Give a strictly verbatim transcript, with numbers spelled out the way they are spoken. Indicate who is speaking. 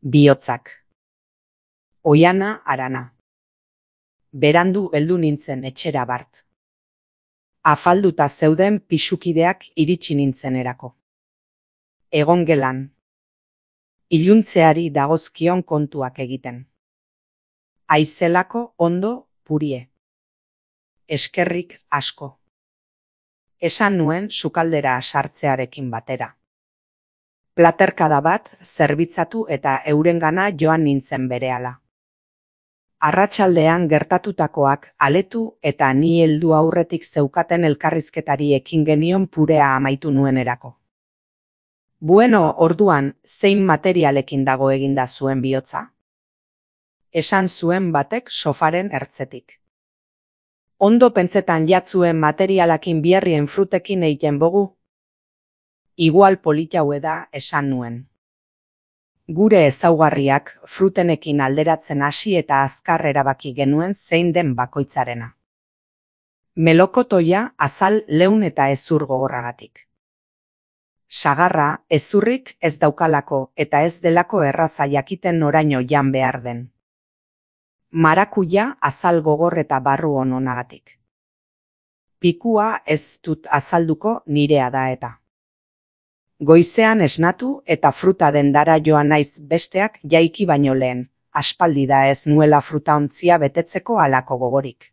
Speaker 1: Bihotzak. Oiana Arana. Berandu heldu nintzen etxera bart. Afalduta zeuden pisukideak iritsi nintzenerako. Egon gelan. Iluntzeari dagozkion kontuak egiten. Aizelako ondo purie. Eskerrik asko. Esan nuen sukaldera sartzearekin batera. Platerkada bat zerbitzatu eta eurengana joan nintzen berehala. Arratsaldean gertatutakoak aletu eta ni heldu aurretik zeukaten elkarrizketari ekin genion purea amaitu nuenerako. Bueno, orduan, zein materialekin dago eginda zuen bihotza? Esan zuen batek sofaren ertzetik. Ondo pentsetan jatzuen materialakin biarrien frutekin eiten bogu? Igual politaue da esan nuen. Gure ezaugarriak frutenekin alderatzen hasi eta azkar erabaki genuen zein den bakoitzarena. Melokotoia azal leun eta ezur gogorragatik. Sagarra ezurrik ez daukalako eta ez delako erraza jakiten noraino jan behar den. Marakuja azal gogor eta barru ononagatik. Pikua ez dut azalduko nirea da eta. Goizean esnatu eta fruta dendara joan naiz besteak jaiki baino lehen, aspaldi da ez nuela fruta ontzia betetzeko halako gogorik.